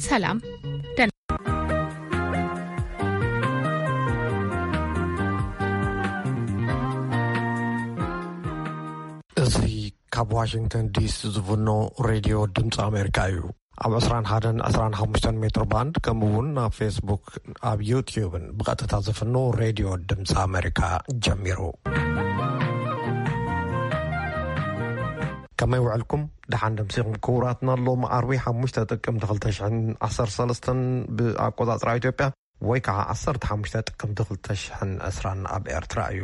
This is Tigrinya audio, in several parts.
ሰላም። ደህና። እዚ ካብ ዋሽንግተን ዲሲ ዝፍኖ ሬድዮ ድምፂ ኣሜሪካ እዩ። ኣብ ዕስራን ሓደን ዕስራን ሓሙሽተን ሜትሮ ባንድ፣ ከምኡ እውን ኣብ ፌስቡክ፣ ኣብ ዩትዩብን ብቐጥታ ዝፍኖ ሬድዮ ድምፂ ኣሜሪካ ጀሚሩ። ከመይ ውዕልኩም? ደሓን ደምሲኹም ክቡራትና። ሎም ዓርቢ ሓሙሽተ ጥቅምቲ ክልተ ሽሕን ዓሰርተ ሰለስተን ብኣቆጻጽራ ኢትዮጵያ፣ ወይ ከዓ ዓሰርተ ሓሙሽተ ጥቅምቲ ክልተ ሽሕን ዕስራን ኣብ ኤርትራ እዩ።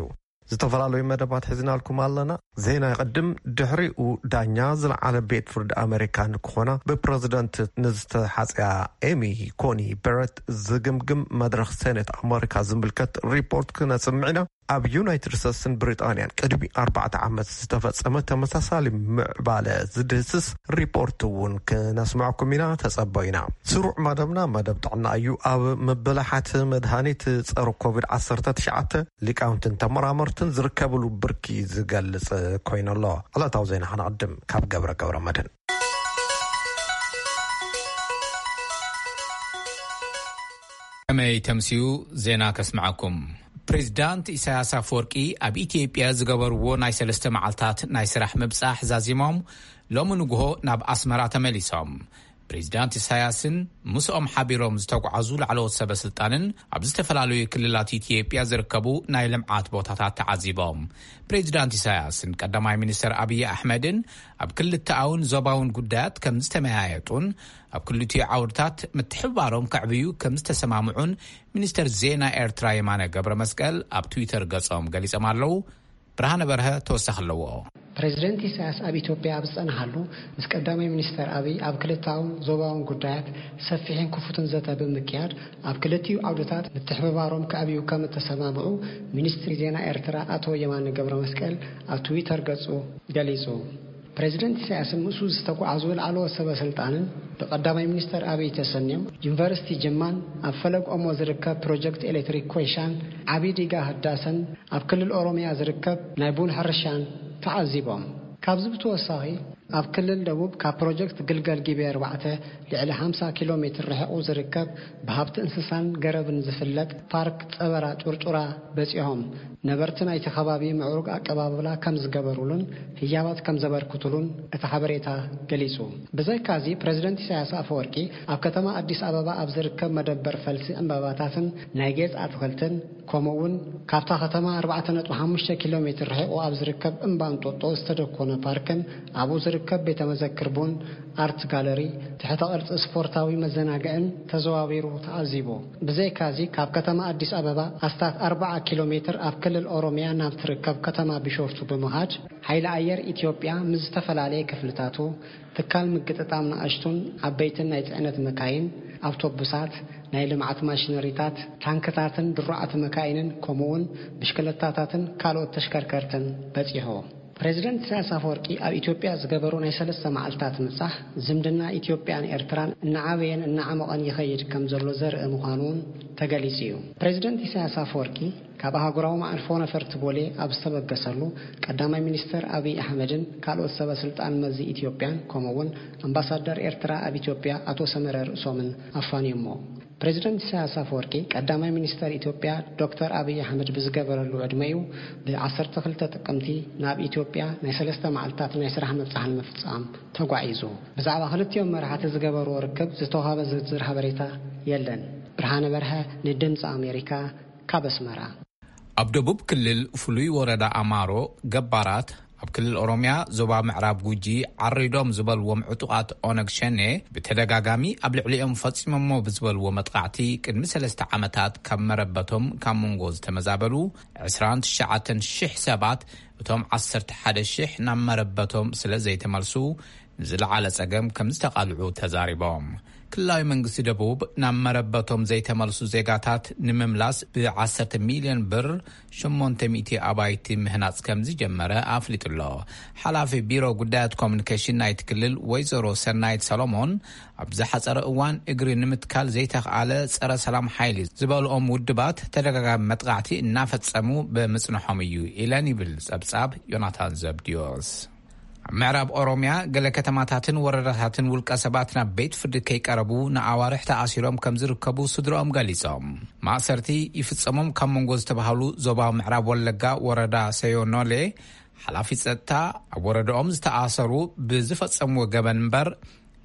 ዝተፈላለዩ መደባት ሒዝናልኩም ኣለና። ዜና ይቕድም። ድሕሪኡ ዳኛ ዝለዓለ ቤት ፍርዲ ኣሜሪካ ንክኾና ብፕረዚደንት ንዝተሓጽያ ኤሚ ኮኒ በረት ዝግምግም መድረኽ ሴኔት ኣሜሪካ ዝምልከት ሪፖርት ክነስምዕ ኢና። ኣብ ዩናይትድ ስቴትስን ብሪጣንያን ቅድሚ ኣርባዕተ ዓመት ዝተፈጸመ ተመሳሳሊ ምዕባለ ዝድህስስ ሪፖርት እውን ክነስምዐኩም ኢና። ተጸበዩና። ስሩዕ መደብና መደብ ጥዕና እዩ። ኣብ ምብላሓት መድሃኒት ጸረ ኮቪድ ዓሰርተ ትሽዓተ ሊቃውንትን ተመራመርትን ዝርከብሉ ብርኪ ዝገልጽ ኮይኑ ኣሎ። ዕለታዊ ዜና ከነቕድም ካብ ገብረ ገብረ መድህን። ከመይ ተምስዩ? ዜና ከስምዓኩም። ፕሬዚዳንት ኢሳያስ ኣፈወርቂ ኣብ ኢትዮጵያ ዝገበርዎ ናይ ሰለስተ መዓልታት ናይ ስራሕ ምብጻሕ ዛዚሞም ሎሚ ንግሆ ናብ ኣስመራ ተመሊሶም። ፕሬዚዳንት ኢሳያስን ምስኦም ሓቢሮም ዝተጓዓዙ ላዕለዎት ሰበ ስልጣንን ኣብ ዝተፈላለዩ ክልላት ኢትዮጵያ ዝርከቡ ናይ ልምዓት ቦታታት ተዓዚቦም። ፕሬዚዳንት ኢሳያስን ቀዳማይ ሚኒስተር ኣብይ ኣሕመድን ኣብ ክልተኣውን ዞባውን ጉዳያት ከም ዝተመያየጡን ኣብ ክልቲኡ ዓውድታት ምትሕብባሮም ከዕብዩ ከም ዝተሰማምዑን ሚኒስተር ዜና ኤርትራ የማነ ገብረ መስቀል ኣብ ትዊተር ገጾም ገሊጾም ኣለዉ። ብርሃነ በርሀ ተወሳኺ ኣለዎ። ፕሬዚደንት ኢሳያስ ኣብ ኢትዮጵያ ኣብ ዝጸንሓሉ፣ ምስ ቀዳማይ ሚኒስተር ኣብይ ኣብ ክልታውን ዞባውን ጉዳያት ሰፊሕን ክፉትን ዘተ ብምክያድ፣ ኣብ ክልቲኡ ዓውድታት ምትሕብባሮም ከዕብዩ ከም እተሰማምዑ ሚኒስትሪ ዜና ኤርትራ ኣቶ የማነ ገብረ መስቀል ኣብ ትዊተር ገጹ ገሊጹ። ፕሬዚደንት ኢሳያስን ምስኡ ዝተጓዓዙ ላዕለዎት ሰበ ስልጣንን ብቀዳማይ ሚኒስተር ኣብይ ተሰንዮም፣ ዩኒቨርሲቲ ጅማን ኣብ ፈለግ ኦሞ ዝርከብ ፕሮጀክት ኤሌክትሪክ ኮይሻን ዓቢ ዲጋ ህዳሰን ኣብ ክልል ኦሮሚያ ዝርከብ ናይ ቡን ሕርሻን ተዓዚቦም። ካብዚ ብተወሳኺ፣ ኣብ ክልል ደቡብ ካብ ፕሮጀክት ግልገል ጊቤ ኣርባዕተ ልዕሊ ሓምሳ ኪሎ ሜትር ርሒቑ ዝርከብ ብሃብቲ እንስሳን ገረብን ዝፍለጥ ፓርክ ጸበራ ጩርጩራ በጺሖም። ነበርቲ ናይቲ ከባቢ ምዕሩግ ኣቀባብላ ከም ዝገበሩሉን ህያባት ከም ዘበርክቱሉን እቲ ሓበሬታ ገሊጹ። ብዘይካዚ፣ ፕረዚደንት ኢሳያስ ኣፈወርቂ ኣብ ከተማ ኣዲስ ኣበባ ኣብ ዝርከብ መደበር ፈልሲ ዕምባባታትን ናይ ጌጽ ኣትኽልትን፣ ከምኡ እውን ካብታ ከተማ ኣርባዕተ ነጥቢ ሓሙሽተ ኪሎ ሜትር ርሒቑ ኣብ ዝርከብ እምባ እንጦጦ ዝተደኮነ ፓርክን ኣብኡ ዝርከብ ቤተ መዘክር ቡን ኣርት ጋለሪ፣ ትሕተ ቅርጺ ስፖርታዊ መዘናግዕን ተዘዋዊሩ ተዓዚቡ። ብዘይካዚ፣ ካብ ከተማ ኣዲስ ኣበባ ኣስታት ኣርብዓ ኪሎ ሜትር ኣብ ክልል ኦሮሚያ ናብ ትርከብ ከተማ ቢሾፍቱ ብምኻድ፣ ሓይሊ ኣየር ኢትዮጵያ ምስ ዝተፈላለየ ክፍልታቱ፣ ትካል ምግጥጣም ንኣሽቱን ዓበይትን ናይ ጽዕነት መካይን፣ ኣውቶቡሳት፣ ናይ ልምዓት ማሽነሪታት፣ ታንክታትን ድሩዓት መካይንን፣ ከምኡውን ብሽክለታታትን ካልኦት ተሽከርከርትን በጺሑ። ፕሬዚደንት ኢሳያስ ኣፈወርቂ ኣብ ኢትዮጵያ ዝገበሩ ናይ ሰለስተ መዓልታት ምብጻሕ፣ ዝምድና ኢትዮጵያን ኤርትራን እናዓበየን እናዓመቐን ይኸይድ ከም ዘሎ ዘርኢ ምዃኑ እውን ተገሊጹ እዩ። ፕሬዚደንት ኢሳያስ ኣፈወርቂ ካብ ኣህጉራዊ መዓርፎ ነፈርቲ ቦሌ ኣብ ዝተበገሰሉ፣ ቀዳማይ ሚኒስተር ኣብይ ኣሕመድን ካልኦት ሰበ ስልጣን መዚ ኢትዮጵያን፣ ከምኡ እውን ኣምባሳደር ኤርትራ ኣብ ኢትዮጵያ ኣቶ ሰመረ ርእሶምን ኣፋንዮሞ። ፕሬዚደንት ኢሳያስ ኣፈወርቂ፣ ቀዳማይ ሚኒስተር ኢትዮጵያ ዶክተር ኣብይ ኣሕመድ ብዝገበረሉ ዕድመኡ፣ ብ ዓሰርተ ክልተ ጥቅምቲ ናብ ኢትዮጵያ ናይ ሰለስተ መዓልታት ናይ ስራሕ ምብጻሕ ንምፍጻም ተጓዒዙ። ብዛዕባ ክልቲኦም መራሕቲ ዝገበርዎ ርክብ ዝተዋህበ ዝርዝር ሓበሬታ የለን። ብርሃነ በርሀ ንድምፂ ኣሜሪካ ካብ ኣስመራ። ኣብ ደቡብ ክልል ፍሉይ ወረዳ ኣማሮ ገባራት ኣብ ክልል ኦሮምያ ዞባ ምዕራብ ጉጂ ዓሪዶም ዝበልዎም ዕጡቓት ኦነግ ሸኔ ብተደጋጋሚ ኣብ ልዕሊኦም ፈጺሞሞ ብዝበልዎ መጥቃዕቲ ቅድሚ ሰለስተ ዓመታት ካብ መረበቶም ካብ መንጎ ዝተመዛበሉ ዕስራን ትሽዓተን ሽሕ ሰባት እቶም ዓሰርተ ሓደ ሽሕ ናብ መረበቶም ስለ ዘይተመልሱ ንዝለዓለ ጸገም ከም ዝተቓልዑ ተዛሪቦም። ክልላዊ መንግስቲ ደቡብ ናብ መረበቶም ዘይተመልሱ ዜጋታት ንምምላስ ብ ዓሰርተ ሚልዮን ብር ሸሞንተ ሚእቲ ኣባይቲ ምህናጽ ከም ዝጀመረ ኣፍሊጡ ኣሎ። ሓላፊ ቢሮ ጉዳያት ኮሙኒኬሽን ናይቲ ክልል ወይዘሮ ሰናይት ሰሎሞን፣ ኣብ ዝሓጸረ እዋን እግሪ ንምትካል ዘይተኽኣለ ጸረ ሰላም ሓይሊ ዝበልኦም ውድባት ተደጋጋሚ መጥቃዕቲ እናፈጸሙ ብምጽንሖም እዩ ኢለን ይብል ጸብጻብ ዮናታን ዘብድዮስ። ኣብ ምዕራብ ኦሮምያ ገለ ከተማታትን ወረዳታትን ውልቀ ሰባት ናብ ቤት ፍርዲ ከይቀረቡ ንኣዋርሕ ተኣሲሮም ከም ዝርከቡ ስድሮኦም ገሊጾም። ማእሰርቲ ይፍጸሞም ካብ መንጎ ዝተባህሉ ዞባ ምዕራብ ወለጋ ወረዳ ሰዮኖሌ ሓላፊ ጸጥታ፣ ኣብ ወረዳኦም ዝተኣሰሩ ብዝፈጸምዎ ገበን እምበር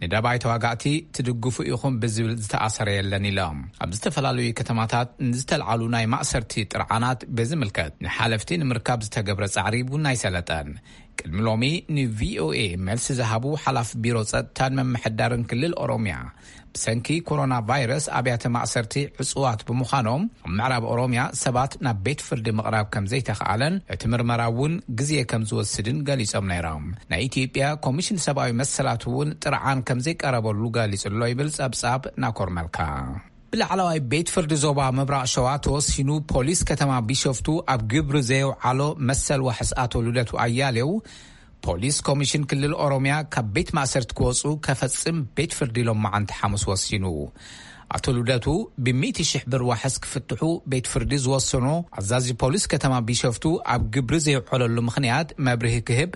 ንደባይ ተዋጋእቲ ትድግፉ ኢኹም ብዝብል ዝተኣሰረ የለን ኢሎም። ኣብ ዝተፈላለዩ ከተማታት ንዝተልዓሉ ናይ ማእሰርቲ ጥርዓናት ብዝምልከት ንሓለፍቲ ንምርካብ ዝተገብረ ጻዕሪ እውን ኣይሰለጠን። ቅድሚ ሎሚ ንቪኦኤ መልሲ ዝሃቡ ሓላፊ ቢሮ ጸጥታን መምሕዳርን ክልል ኦሮምያ፣ ብሰንኪ ኮሮና ቫይረስ ኣብያተ ማእሰርቲ ዕጹዋት ብምዃኖም ኣብ ምዕራብ ኦሮምያ ሰባት ናብ ቤት ፍርዲ ምቕራብ ከም ዘይተኽኣለን እቲ ምርመራ እውን ግዜ ከም ዝወስድን ገሊጾም ነይሮም። ናይ ኢትዮጵያ ኮሚሽን ሰብኣዊ መሰላት እውን ጥርዓን ከም ዘይቀረበሉ ገሊጹ ኣሎ ይብል ጸብጻብ ናኮር መልካ። ብላዕለዋይ ቤት ፍርዲ ዞባ ምብራቕ ሸዋ ተወሲኑ፣ ፖሊስ ከተማ ቢሾፍቱ ኣብ ግብሪ ዘየውዓሎ መሰል ዋሕስ ኣቶ ልደቱ ኣያሌው፣ ፖሊስ ኮሚሽን ክልል ኦሮምያ ካብ ቤት ማእሰርቲ ክወጹ ከፈጽም ቤት ፍርዲ ሎማዓንቲ ሓሙስ ወሲኑ። ኣቶ ልደቱ ብሚእቲ ሽሕ ብር ዋሕስ ክፍትሑ ቤት ፍርዲ ዝወሰኖ ኣዛዚ ፖሊስ ከተማ ቢሾፍቱ ኣብ ግብሪ ዘየውዓለሉ ምኽንያት መብርሂ ክህብ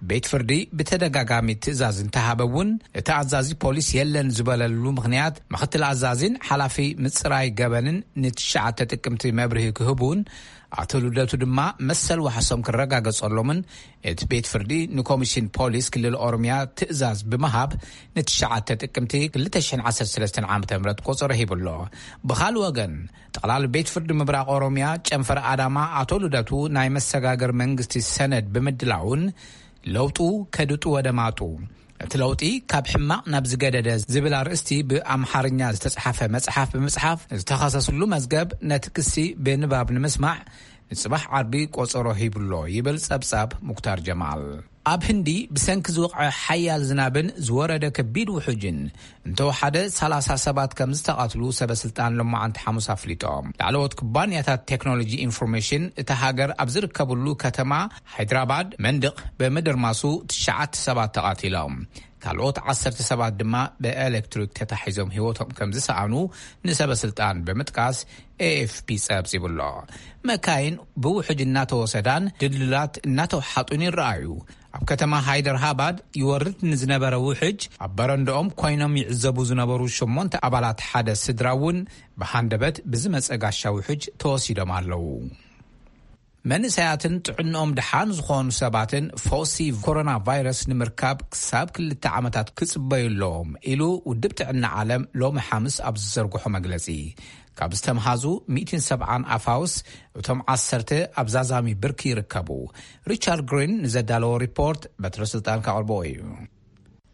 ቤት ፍርዲ ብተደጋጋሚ ትእዛዝ እንተሃበ እውን፣ እቲ ኣዛዚ ፖሊስ የለን ዝበለሉ ምኽንያት፣ ምኽትል ኣዛዚን ሓላፊ ምጽራይ ገበንን ንትሽዓተ ጥቅምቲ መብርሂ ክህቡን፣ ኣቶ ልደቱ ድማ መሰል ዋሕሶም ክረጋገጸሎምን እቲ ቤት ፍርዲ ንኮሚሽን ፖሊስ ክልል ኦሮምያ ትእዛዝ ብምሃብ፣ ንትሽዓተ ጥቅምቲ ክልተ ሽሕን ዓሰርተ ሰለስተን ዓመተ ምህረት ቆጸሮ ሂቡ ኣሎ። ብኻልእ ወገን፣ ጠቕላሊ ቤት ፍርዲ ምብራቕ ኦሮምያ ጨንፈር ኣዳማ ኣቶ ልደቱ ናይ መሰጋገር መንግስቲ ሰነድ ብምድላውን ለውጡ ከድጡ ወደ ማጡ፣ እቲ ለውጢ ካብ ሕማቕ ናብ ዝገደደ ዝብል ኣርእስቲ ብኣምሓርኛ ዝተጻሕፈ መጽሓፍ ብምጽሓፍ፣ ዝተኸሰስሉ መዝገብ ነቲ ክሲ ብንባብ ንምስማዕ ንጽባሕ ዓርቢ ቆጸሮ ሂቡሎ ይብል ጸብጻብ ሙክታር ጀማል። ኣብ ህንዲ ብሰንኪ ዝወቕዐ ሓያል ዝናብን ዝወረደ ከቢድ ውሑጅን እንተወሓደ ሰላሳ ሰባት ከም ዝተቐትሉ ሰበ ስልጣን ሎማዓንቲ ሓሙስ ኣፍሊጦም። ላዕለዎት ኩባንያታት ቴክኖሎጂ ኢንፎርሜሽን እታ ሃገር ኣብ ዝርከብሉ ከተማ ሃይድራባድ መንድቕ ብምድርማሱ ትሽዓተ ሰባት ተቐቲሎም። ካልኦት ዓሰርተ ሰባት ድማ ብኤሌክትሪክ ተታሒዞም ህይወቶም ከም ዝሰኣኑ ንሰበ ስልጣን ብምጥቃስ ኤኤፍፒ ጸብጺቡ ኣሎ። መካይን ብውሕጅ እናተወሰዳን ድልድላት እናተውሓጡን ይረኣዩ። ኣብ ከተማ ሃይደርሃባድ ይወርድ ንዝነበረ ውሕጅ ኣብ በረንዳኦም ኮይኖም ይዕዘቡ ዝነበሩ ሸሞንተ ኣባላት ሓደ ስድራ እውን ብሃንደበት ብዝመጸ ጋሻ ውሕጅ ተወሲዶም ኣለዉ። መንእሰያትን ጥዕንኦም ደሓን ዝኾኑ ሰባትን ፈውሲ ኮሮና ቫይረስ ንምርካብ ክሳብ ክልተ ዓመታት ክጽበዩ ኣለዎም ኢሉ ውድብ ጥዕና ዓለም ሎሚ ሓምስ ኣብ ዝዘርግሖ መግለጺ። ካብ ዝተምሃዙ ሚእትን ሰብዓን ኣፋውስ እቶም ዓሰርተ ኣብ ዛዛሚ ብርኪ ይርከቡ። ሪቻርድ ግሪን ንዘዳለዎ ሪፖርት በትረ ስልጣን ካቕርቦ እዩ።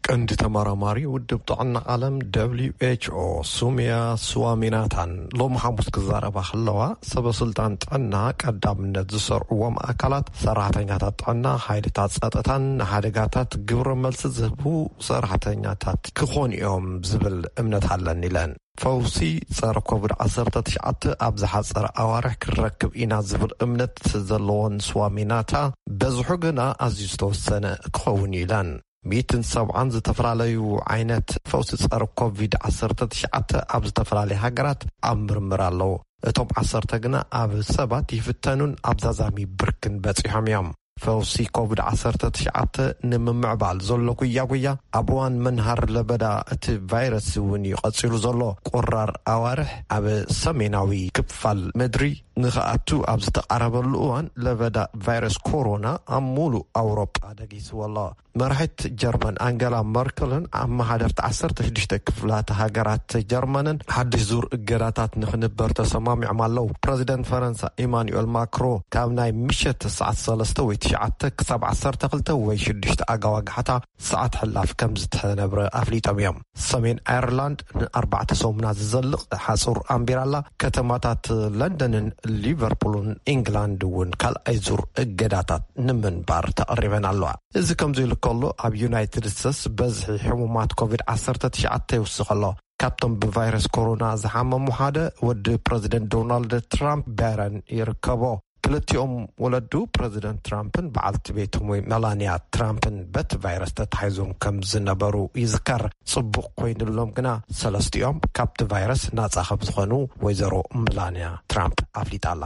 ቀንዲ ተመራማሪ ውድብ ጥዕና ዓለም ደብሊው ኤች ኦ ሱሚያ ስዋሚናታን ሎሚ ሓሙስ ክዛረባ ከለዋ፣ ሰበ ስልጣን ጥዕና ቀዳምነት ዝሰርዕዎም ኣካላት ሰራሕተኛታት ጥዕና፣ ሓይልታት ጸጥታን ንሓደጋታት ግብረ መልሲ ዝህቡ ሰራሕተኛታት ክኾኑ እዮም ዝብል እምነት ኣለኒ ኢለን። ፈውሲ ጸረ ኮቪድ ዓሰርተ ትሽዓተ ኣብ ዝሓጸረ ኣዋርሕ ክንረክብ ኢና ዝብል እምነት ዘለዎን ስዋሚናታ፣ በዝሑ ግና ኣዝዩ ዝተወሰነ ክኸውን እዩ ኢለን። ሚእትን ሰብዓን ዝተፈላለዩ ዓይነት ፈውሲ ጸረ ኮቪድ ዓሰርተ ትሽዓተ ኣብ ዝተፈላለዩ ሃገራት ኣብ ምርምር ኣለዉ። እቶም ዓሰርተ ግና ኣብ ሰባት ይፍተኑን ኣብ ዛዛሚ ብርክን በጺሖም እዮም። ፈውሲ ኮቪድ ዓሰርተ ትሽዓተ ንምምዕባል ዘሎ ጉያ ጉያ ኣብ እዋን መንሃር ለበዳ እቲ ቫይረስ እውን እዩ ቀጺሉ ዘሎ። ቁራር ኣዋርሕ ኣብ ሰሜናዊ ክፋል ምድሪ ንኽኣቱ ኣብ ዝተቓረበሉ እዋን ለበዳ ቫይረስ ኮሮና ኣብ ሙሉእ ኣውሮጳ ደጊስዎ ኣሎ። መራሒት ጀርመን ኣንገላ መርክልን ኣመሓደርቲ ዓሰርተ ሽዱሽተ ክፍላተ ሃገራት ጀርመንን ሓድሽ ዙር እገዳታት ንኽንበር ተሰማሚዖም ኣለዉ። ፕረዚደንት ፈረንሳ ኢማኑኤል ማክሮ ካብ ናይ ምሸት ሰዓት ሰለስተ ወይ ትሽዓተ ክሳብ ዓሰርተ ክልተ ወይ ሽዱሽተ ኣጋዋግሓታ ሰዓት ሕላፍ ከም ዝተነብረ ኣፍሊጦም እዮም። ሰሜን ኣየርላንድ ንኣርባዕተ ሰሙናት ዝዘልቕ ሓጹር ኣንቢራላ። ከተማታት ለንደንን ሊቨርፑልን ኢንግላንድ እውን ካልኣይ ዙር እገዳታት ንምንባር ተቐሪበን ኣለዋ። እዚ ከምዚ ኢሉ ከሎ፣ ኣብ ዩናይትድ ስቴትስ በዝሒ ሕሙማት ኮቪድ ዓሰርተ ትሽዓተ ይውስኽ ኣሎ። ካብቶም ብቫይረስ ኮሮና ዝሓመሙ ሓደ ወዲ ፕረዚደንት ዶናልድ ትራምፕ ባረን ይርከቦ። ክልቲኦም ወለዱ ፕረዚደንት ትራምፕን በዓልቲ ቤቶም ወይ መላንያ ትራምፕን በቲ ቫይረስ ተታሒዞም ከም ዝነበሩ ይዝከር። ጽቡቕ ኮይኑሎም ግና ሰለስቲኦም ካብቲ ቫይረስ ናጻ ከም ዝኾኑ ወይዘሮ መላንያ ትራምፕ ኣፍሊጣ ኣላ።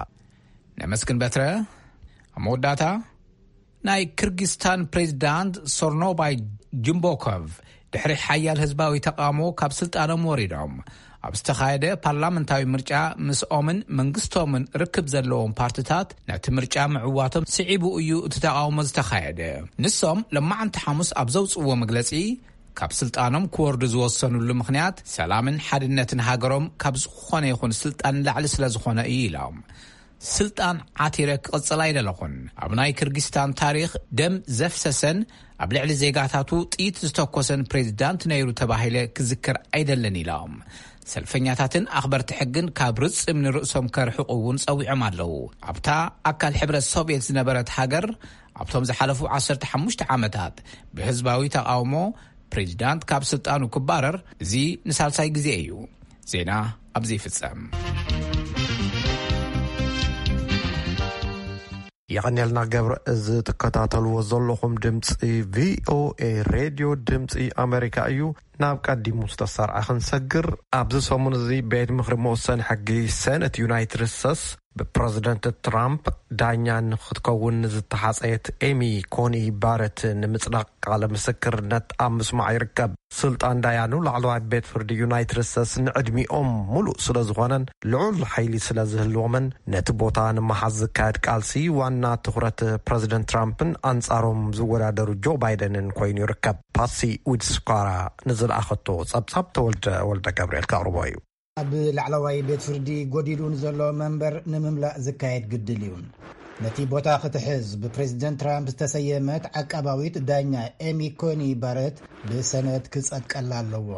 ነመስግን በትረ። ኣብ መወዳእታ ናይ ክርጊስታን ፕሬዚዳንት ሶርኖባይ ጅምቦኮቭ ድሕሪ ሓያል ህዝባዊ ተቃውሞ ካብ ስልጣኖም ወሪዶም፣ ኣብ ዝተኻየደ ፓርላመንታዊ ምርጫ ምስኦምን መንግስቶምን ርክብ ዘለዎም ፓርትታት፣ ነቲ ምርጫ ምዕዋቶም ስዒቡ እዩ እቲ ተቃውሞ ዝተኻየደ። ንሶም ለማዓንቲ ሓሙስ ኣብ ዘውፅዎ መግለፂ፣ ካብ ስልጣኖም ክወርዱ ዝወሰኑሉ ምኽንያት፣ ሰላምን ሓድነትን ሃገሮም ካብ ዝኾነ ይኹን ስልጣን ንላዕሊ ስለ ዝኾነ እዩ ኢሎም። ስልጣን ዓቲረ ክቕጽል ኣይደለኹን። ኣብ ናይ ክርጊስታን ታሪኽ ደም ዘፍሰሰን ኣብ ልዕሊ ዜጋታቱ ጥይት ዝተኮሰን ፕሬዚዳንት ነይሩ ተባሂለ ክዝክር ኣይደልን ኢሎም። ሰልፈኛታትን ኣኽበርቲ ሕግን ካብ ርጽም ንርእሶም ከርሕቑ እውን ጸዊዖም ኣለዉ። ኣብታ ኣካል ሕብረት ሶቪየት ዝነበረት ሃገር፣ ኣብቶም ዝሓለፉ ዓሰርተ ሓሙሽተ ዓመታት ብህዝባዊ ተቃውሞ ፕሬዚዳንት ካብ ስልጣኑ ክባረር እዚ ንሳልሳይ ግዜ እዩ። ዜና ኣብዚ ይፍጸም። የቐንየልና ገብረ። እዚ ትከታተልዎ ዘለኹም ድምፂ ቪኦኤ ሬድዮ ድምፂ ኣሜሪካ እዩ። ናብ ቀዲሙ ዝተሰርዐ ክንሰግር፣ ኣብዚ ሰሙን እዚ ቤት ምኽሪ መወሰኒ ሕጊ ሰነት ዩናይትድ ስቴትስ ብፕረዚደንት ትራምፕ ዳኛ ንክትከውን ዝተሓፀየት ኤሚ ኮኒ ባረት ንምፅዳቕ ቃለ ምስክርነት ኣብ ምስማዕ ይርከብ። ስልጣን ዳያኑ ላዕለዋይ ቤት ፍርዲ ዩናይትድ ስቴትስ ንዕድሚኦም ሙሉእ ስለ ዝኾነን ልዑል ሓይሊ ስለ ዝህልዎምን፣ ነቲ ቦታ ንምሓዝ ዝካየድ ቃልሲ ዋና ትኹረት ፕረዚደንት ትራምፕን ኣንጻሮም ዝወዳደሩ ጆ ባይደንን ኮይኑ ይርከብ። ፓሲ ዊድስኳራ ንዝለኣኸቶ ጸብጻብ ተወልደ ወልደ ገብርኤል ከቕርቦ እዩ። ኣብ ላዕለዋይ ቤት ፍርዲ ጎዲሉ ንዘሎ መንበር ንምምላእ ዝካየድ ግድል እዩ። ነቲ ቦታ ክትሕዝ ብፕሬዚደንት ትራምፕ ዝተሰየመት ዓቃባዊት ዳኛ ኤሚ ኮኒ ባረት ብሰነት ክጸድቀላ ኣለዎ።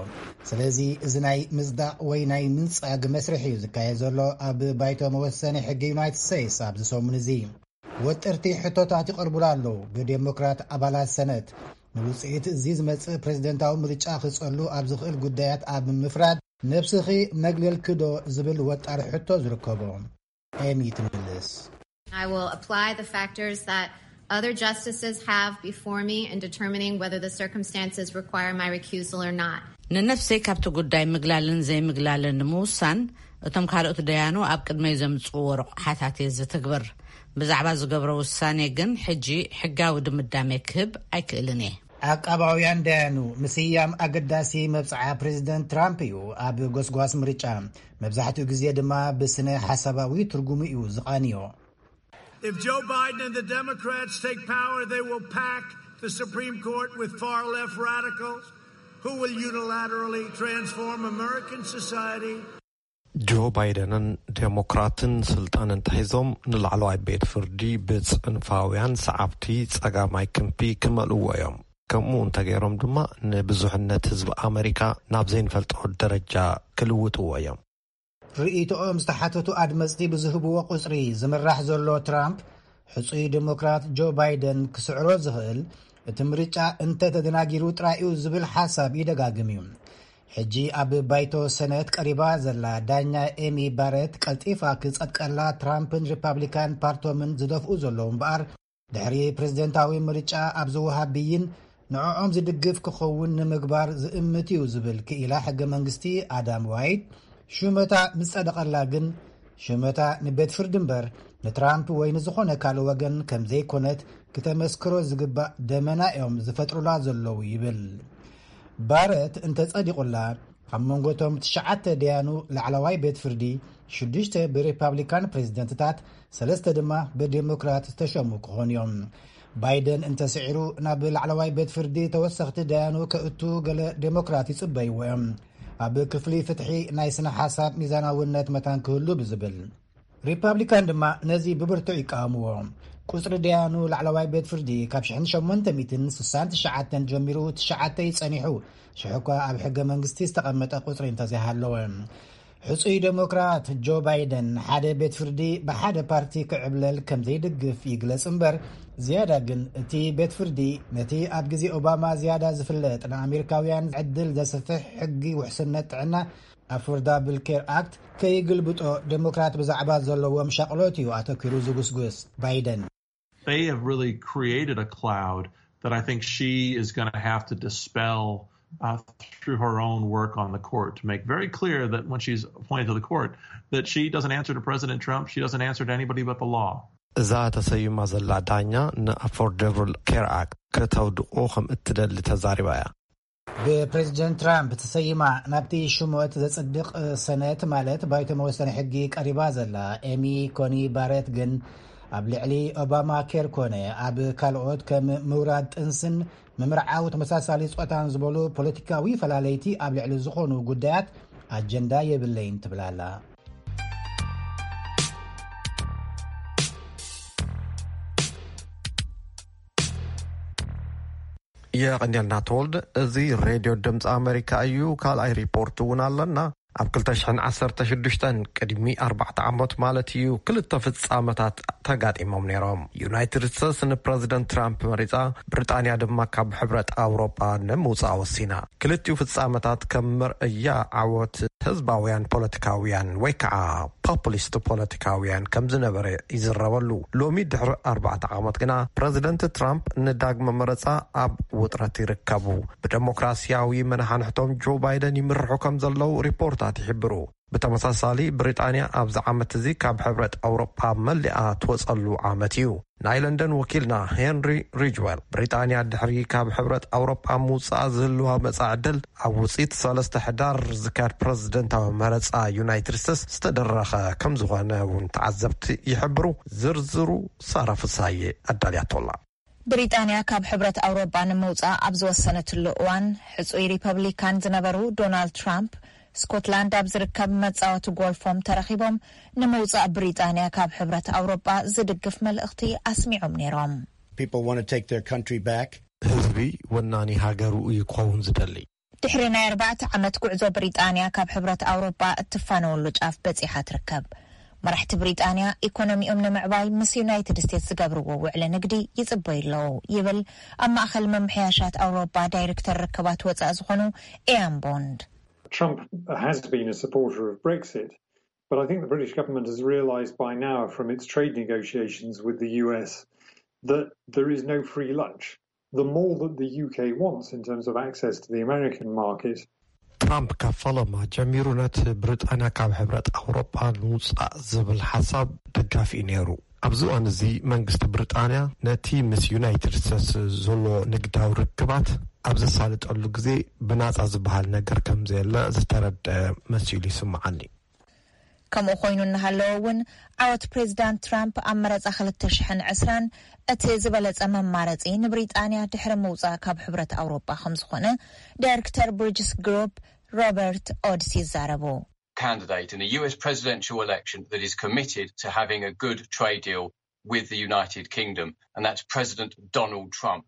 ስለዚ እዚ ናይ ምጽዳቕ ወይ ናይ ምንጻግ መስርሕ እዩ ዝካየድ ዘሎ ኣብ ባይቶ መወሰኒ ሕጊ ዩናይትድ ስቴትስ ኣብዚ ሰሙን እዚ። ወጠርቲ ሕቶታት ይቐርቡላ ኣለዉ። ብዴሞክራት ኣባላት ሰነት ንውጽኢት እዚ ዝመጽእ ፕሬዚደንታዊ ምርጫ ክጸሉ ኣብ ዝኽእል ጉዳያት ኣብ ምፍራድ ነብስኺ መግለልኪ ዶ ዝብል ወጣር ሕቶ ዝርከቦ። ኤሚ ትምልስ። I will apply the factors that other justices have before me in determining whether the circumstances require my recusal or not. ንነፍሰይ ካብቲ ጉዳይ ምግላልን ዘይምግላልን ንምውሳን እቶም ካልኦት ደያኑ ኣብ ቅድመይ ዘምጽእዎ ረቑሓታት እየ ዝትግብር። ብዛዕባ ዝገብሮ ውሳኔ ግን ሕጂ ሕጋዊ ድምዳሜ ክህብ ኣይክእልን እየ። ዓቃባውያን ደያኑ ምስያም ኣገዳሲ መብጽዓ ፕሬዚደንት ትራምፕ እዩ። ኣብ ጎስጓስ ምርጫ መብዛሕትኡ ግዜ ድማ ብስነ ሓሳባዊ ትርጉሙ እዩ ዝቓንዮ። If Joe Biden and the Democrats take power, they will pack the Supreme Court with far left radicals who will unilaterally transform American society. ጆ ባይደንን ዴሞክራትን ስልጣን እንተሒዞም ንላዕለዋይ ቤት ፍርዲ ብጽንፋውያን ሰዓብቲ ጸጋማይ ክንፊ ክመልእዎ እዮም። ከምኡ እንተገይሮም ድማ ንብዙሕነት ህዝቢ ኣመሪካ ናብ ዘይንፈልጦ ደረጃ ክልውጥዎ እዮም። ርእይቶኦም ዝተሓተቱ ኣድመፅቲ ብዝህብዎ ቁፅሪ ዝምራሕ ዘሎ ትራምፕ ሕፁይ ዴሞክራት ጆ ባይደን ክስዕሮ ዝኽእል እቲ ምርጫ እንተተደናጊሩ ጥራይ እዩ ዝብል ሓሳብ ይደጋግም እዩ። ሕጂ ኣብ ባይቶ ሰነት ቀሪባ ዘላ ዳኛ ኤሚ ባረት ቀልጢፋ ክጸድቀላ ትራምፕን ሪፓብሊካን ፓርቶምን ዝደፍኡ ዘለዉ እምበኣር ድሕሪ ፕሬዝደንታዊ ምርጫ ኣብ ዝወሃብ ብይን ንዕኦም ዝድግፍ ክኸውን ንምግባር ዝእምት እዩ ዝብል ክኢላ ሕገ መንግስቲ ኣዳም ዋይት፣ ሹመታ ምስ ጸደቐላ ግን ሹመታ ንቤት ፍርዲ እምበር ንትራምፕ ወይ ንዝኾነ ካልእ ወገን ከም ዘይኮነት ክተመስክሮ ዝግባእ ደመና እዮም ዝፈጥሩላ ዘለዉ ይብል። ባረት እንተጸዲቑላ ካብ መንጎቶም ትሽዓተ ደያኑ ላዕለዋይ ቤት ፍርዲ ሽዱሽተ ብሪፓብሊካን ፕሬዝደንትታት ሰለስተ ድማ ብዴሞክራት ዝተሸሙ ክኾኑ እዮም። ባይደን እንተስዒሩ ናብ ላዕለዋይ ቤት ፍርዲ ተወሰኽቲ ደያኑ ከእቱ ገለ ዴሞክራት ይጽበይዎ እዮም። ኣብ ክፍሊ ፍትሒ ናይ ስነ ሓሳብ ሚዛናውነት መታን ክህሉ ብዝብል ሪፓብሊካን ድማ ነዚ ብብርቱዕ ይቃወምዎ። ቁፅሪ ደያኑ ላዕለዋይ ቤት ፍርዲ ካብ ሽሕን ሸሞንተ ሚእትን ስሳን ትሽዓተን ጀሚሩ ትሽዓተ እዩ ጸኒሑ። ሽሕ እኳ ኣብ ሕገ መንግስቲ ዝተቐመጠ ቁፅሪ እንተዘይሃለወ። ሕፁይ ዴሞክራት ጆ ባይደን ሓደ ቤት ፍርዲ ብሓደ ፓርቲ ክዕብለል ከም ዘይድግፍ ይግለጽ እምበር ዝያዳ ግን እቲ ቤት ፍርዲ ነቲ ኣብ ግዜ ኦባማ ዝያዳ ዝፍለጥ ንኣሜሪካውያን ዕድል ዘስፍሕ ሕጊ ውሕስነት ጥዕና ኣፎርዳብል ኬር ኣክት ከይግልብጦ ዴሞክራት ብዛዕባ ዘለዎም ሻቕሎት እዩ ኣተኪሩ ዝጉስጉስ ባይደን። They have really created a cloud that I think she is going to have to dispel uh, through her own work on the court to make very clear that when she's appointed to the court, that she doesn't answer to President Trump, she doesn't answer to anybody but the law. እዛ ተሰይማ ዘላ ዳኛ ንኣፎርደብል ኬር ኣክት ከተውድቆ ከም እትደሊ ተዛሪባ እያ። ብፕሬዚደንት ትራምፕ ተሰይማ ናብቲ ሽሞት ዘጽድቕ ሰነት ማለት ባይቶ መወሰኒ ሕጊ ቀሪባ ዘላ ኤሚ ኮኒ ባረት ግን ኣብ ልዕሊ ኦባማ ኬር ኮነ ኣብ ካልኦት ከም ምውራድ ጥንስን ምምርዓው ተመሳሳሊ ጾታን ዝበሉ ፖለቲካዊ ፈላለይቲ ኣብ ልዕሊ ዝኾኑ ጉዳያት ኣጀንዳ የብለይን ትብላላ። የቐንየልና ተወልደ። እዚ ሬድዮ ድምፂ ኣሜሪካ እዩ። ካልኣይ ሪፖርት እውን ኣለና። ኣብ ክልተ ሽሕን ዓሰርተ ሽዱሽተን ቅድሚ ኣርባዕተ ዓመት ማለት እዩ ክልተ ፍጻመታት ተጋጢሞም ነይሮም። ዩናይትድ ስቴትስ ንፕረዚደንት ትራምፕ መሪጻ፣ ብሪጣንያ ድማ ካብ ሕብረት ኣውሮጳ ንምውጻእ ወሲና። ክልቲኡ ፍጻመታት ከም መርእያ ዓወት ህዝባውያን ፖለቲካውያን ወይ ከዓ ፖፑሊስት ፖለቲካውያን ከም ዝነበረ ይዝረበሉ። ሎሚ ድሕሪ ኣርባዕተ ዓመት ግና ፕረዚደንት ትራምፕ ንዳግመ መረጻ ኣብ ውጥረት ይርከቡ። ብደሞክራሲያዊ መናሓንሕቶም ጆ ባይደን ይምርሑ ከም ዘለዉ ሪፖርታት ይሕብሩ። ብተመሳሳሊ ብሪጣንያ ኣብዚ ዓመት እዚ ካብ ሕብረት ኣውሮጳ መሊኣ ትወጸሉ ዓመት እዩ። ናይ ለንደን ወኪልና ሄንሪ ሪጅዌል ብሪጣንያ ድሕሪ ካብ ሕብረት ኣውሮጳ ምውጻኣ ዝህልዋ መጻኢ ዕድል ኣብ ውጽኢት ሰለስተ ሕዳር ዝካየድ ፕረዚደንታዊ መረጻ ዩናይትድ ስቴትስ ዝተደረኸ ከም ዝኾነ እውን ተዓዘብቲ ይሕብሩ። ዝርዝሩ ሳራ ፍሳዬ ኣዳልያቶላ። ብሪጣንያ ካብ ሕብረት ኣውሮጳ ንምውጻእ ኣብ ዝወሰነትሉ እዋን ሕጹይ ሪፐብሊካን ዝነበሩ ዶናልድ ትራምፕ ስኮትላንድ ኣብ ዝርከብ መጻወቲ ጎልፎም ተረኺቦም ንምውጻእ ብሪጣንያ ካብ ሕብረት ኣውሮጳ ዝድግፍ መልእኽቲ ኣስሚዖም ነይሮም። People want to take their country back. ህዝቢ ወናኒ ሃገሩ እዩ ክኸውን ዝደሊ። ድሕሪ ናይ ኣርባዕተ ዓመት ጉዕዞ ብሪጣንያ ካብ ሕብረት ኣውሮጳ እትፋነወሉ ጫፍ በጺሓ ትርከብ። መራሕቲ ብሪጣንያ ኢኮኖሚኦም ንምዕባይ ምስ ዩናይትድ ስቴትስ ዝገብርዎ ውዕሊ ንግዲ ይጽበዩ ኣለዉ ይብል ኣብ ማእኸል ምምሕያሻት ኣውሮጳ ዳይሬክተር ርክባት ወጻኢ ዝኾኑ ኤያን ቦንድ። Trump has been a supporter of Brexit, but I think the British government has realised by now from its trade negotiations with the U S that there is no free lunch. The more that the U K wants in terms of access to the American market, ትራምፕ ካብ ፈለማ ጀሚሩ ነቲ ብሪጣንያ ካብ ሕብረት ኣውሮጳ ንምውጻእ ዝብል ሓሳብ ደጋፊ እዩ ነይሩ። ኣብዚ እዋን እዚ መንግስቲ ብሪጣንያ ነቲ ምስ ዩናይትድ ስቴትስ ዘሎ ንግዳዊ ርክባት ኣብ ዘሳልጠሉ ግዜ ብናጻ ዝበሃል ነገር ከም ዘየለ ዝተረድአ መሲሉ ይስምዓኒ። ከምኡ ኮይኑ እናሃለወ እውን ዓወት ፕሬዚዳንት ትራምፕ ኣብ መረፃ ክልተ ሽሕን ዕስራን እቲ ዝበለፀ መማረፂ ንብሪጣንያ ድሕሪ ምውፃእ ካብ ሕብረት ኣውሮጳ ከምዝኾነ ዳይሬክተር ብሪጅስ ግሩፕ ሮበርት ኦድስ ይዛረቡ። Candidate in a U S presidential election that is committed to having a good trade deal with the United Kingdom, and that's President Donald Trump.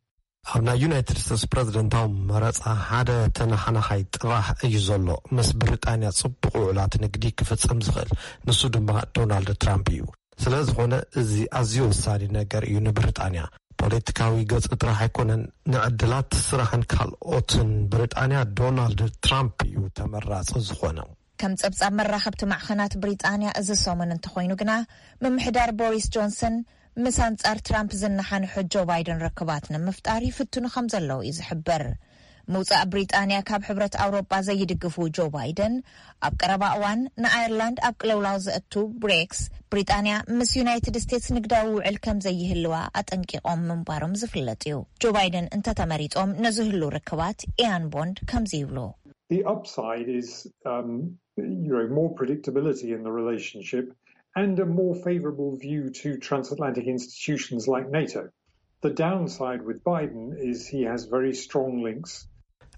ኣብ ናይ ዩናይትድ ስቴትስ ፕረዚደንታዊ መረፃ ሓደ ተነሓናሓይ ጥራሕ እዩ ዘሎ። ምስ ብሪጣንያ ፅቡቕ ውዕላት ንግዲ ክፍፅም ዝኽእል ንሱ ድማ ዶናልድ ትራምፕ እዩ። ስለ ዝኾነ እዚ ኣዝዩ ወሳኒ ነገር እዩ ንብሪጣንያ። ፖለቲካዊ ገፁ ጥራሕ ኣይኮነን፣ ንዕድላት ስራሕን ካልኦትን ብሪጣንያ ዶናልድ ትራምፕ እዩ ተመራፂ ዝኾነ። ከም ጸብጻብ መራኸብቲ ማዕኸናት ብሪጣንያ እዚ ሰሙን እንተኾይኑ ግና፣ ምምሕዳር ቦሪስ ጆንሰን ምስ ኣንጻር ትራምፕ ዝነሓንሑ ጆ ባይደን ርክባት ንምፍጣር ይፍትኑ ከም ዘለዉ እዩ ዝሕበር። ምውጻእ ብሪጣንያ ካብ ሕብረት ኣውሮጳ ዘይድግፉ ጆ ባይደን፣ ኣብ ቀረባ እዋን ንኣየርላንድ ኣብ ቅልውላው ዘእቱ ብሬክስ፣ ብሪጣንያ ምስ ዩናይትድ ስቴትስ ንግዳዊ ውዕል ከም ዘይህልዋ ኣጠንቂቖም ምንባሮም ዝፍለጥ እዩ። ጆ ባይደን እንተተመሪጾም ነዚ ህሉ ርክባት ኢያን ቦንድ ከምዚ ይብሉ። The upside is um, you know, more predictability in the relationship and a more favourable view to transatlantic institutions like NATO. The downside with Biden is he has very strong links.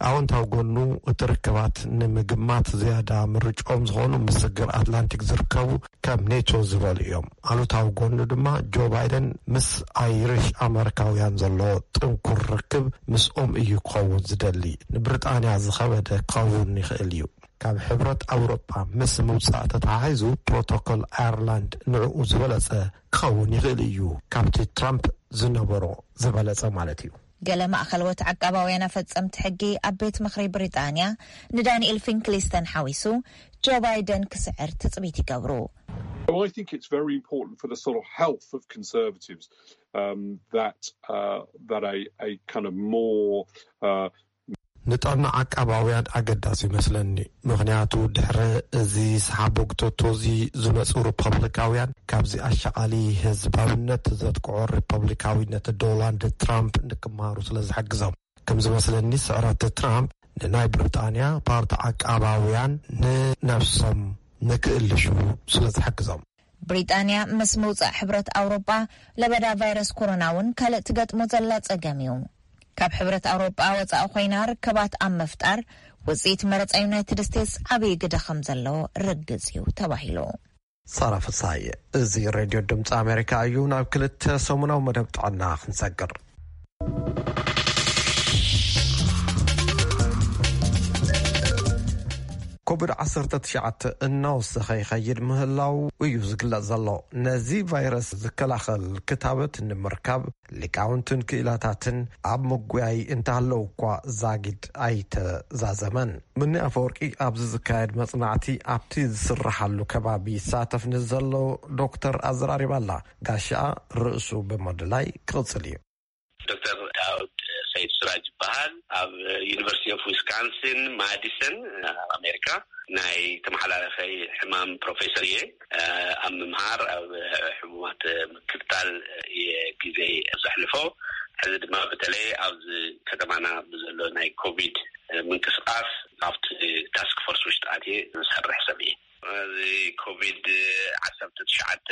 ኣወንታዊ ጎኑ እቲ ርክባት ንምግማት ዝያዳ ምርጫኦም ዝኾኑ ምስ ስግር ኣትላንቲክ ዝርከቡ ከም ኔቶ ዝበሉ እዮም። ኣሉታዊ ጎኑ ድማ ጆ ባይደን ምስ ኣይሪሽ ኣመሪካውያን ዘሎ ጥንኩር ርክብ ምስኦም እዩ ክኸውን ዝደሊ። ንብሪጣንያ ዝኸበደ ክኸውን ይኽእል እዩ። ካብ ሕብረት ኣውሮጳ ምስ ምውጻእ ተተሓሒዙ ፕሮቶኮል ኣየርላንድ ንዕኡ ዝበለጸ ክኸውን ይኽእል እዩ። ካብቲ ትራምፕ ዝነበሮ ዝበለጸ ማለት እዩ። ገለ ማእኸልዎት ዓቃባውያን ኣፈጸምቲ ሕጊ ኣብ ቤት ምኽሪ ብሪጣንያ ንዳንኤል ፊንክሊስተን ሓዊሱ ጆ ባይደን ክስዕር ትጽቢት ይገብሩ። Well, I think it's very important for the sort of health of conservatives um, that uh, that a, a kind of more uh, ንጥዕና ዓቃባውያን ኣገዳሲ ይመስለኒ። ምኽንያቱ ድሕሪ እዚ ሰሓቦ ግቶቶ እዚ ዝመጹ ሪፐብሊካውያን ካብዚ ኣሻቓሊ ህዝባውነት ዘጥቅዖ ሪፐብሊካዊነት ዶናልድ ትራምፕ ንክመሃሩ ስለ ዝሕግዞም። ከም ዝመስለኒ ስዕረት ትራምፕ ንናይ ብሪጣንያ ፓርቲ ዓቃባውያን ንነብሶም ንክእልሹ ስለ ዝሕግዞም። ብሪጣንያ ምስ ምውጻእ ሕብረት ኣውሮጳ ለበዳ ቫይረስ ኮሮና እውን ካልእ ትገጥሞ ዘላ ጸገም እዩ። ካብ ሕብረት ኣውሮጳ ወጻኢ ኮይና ርክባት ኣብ ምፍጣር ውጽኢት መረጻ ዩናይትድ ስቴትስ ዓብዪ ግደ ከም ዘለዎ ርግጽ እዩ ተባሂሉ። ሳራ ፍሳይ፣ እዚ ሬድዮ ድምፂ ኣሜሪካ እዩ። ናብ ክልተ ሰሙናዊ መደብ ጥዕና ክንሰግር። ኮቪድ ዓሰርተ ትሽዓተ እናወሰኸ ይኸይድ ምህላው እዩ ዝግለጽ ዘሎ። ነዚ ቫይረስ ዝከላኸል ክታበት ንምርካብ ሊቃውንትን ክኢላታትን ኣብ ምጉያይ እንተሃለዉ እኳ ዛጊድ ኣይተዛዘመን። ምኒ ኣፈወርቂ ኣብዚ ዝካየድ መጽናዕቲ ኣብቲ ዝስርሓሉ ከባቢ ይሳተፍ ንዘሎ ዶክተር ኣዘራሪባ ኣላ። ጋሻ ርእሱ ብምድላይ ክቕጽል እዩ። ዶክተር ዳውድ ሰይድ ስራጅ ይበሃል። ኣብ ዩኒቨርሲቲ ኦፍ ዊስካንሲን ማዲሰን ኣብ ኣሜሪካ ናይ ተመሓላለፈይ ሕማም ፕሮፌሰር እየ። ኣብ ምምሃር ኣብ ሕሙማት ምክትታል እየ ግዜ ዘሕልፎ። ሕዚ ድማ በተለይ ኣብዚ ከተማና ብዘሎ ናይ ኮቪድ ምንቅስቃስ ኣብቲ ታስክ ፎርስ ውሽጢ ኣትየ ዝሰርሕ ሰብ እየ። እዚ ኮቪድ ዓሰርተ ትሽዓተ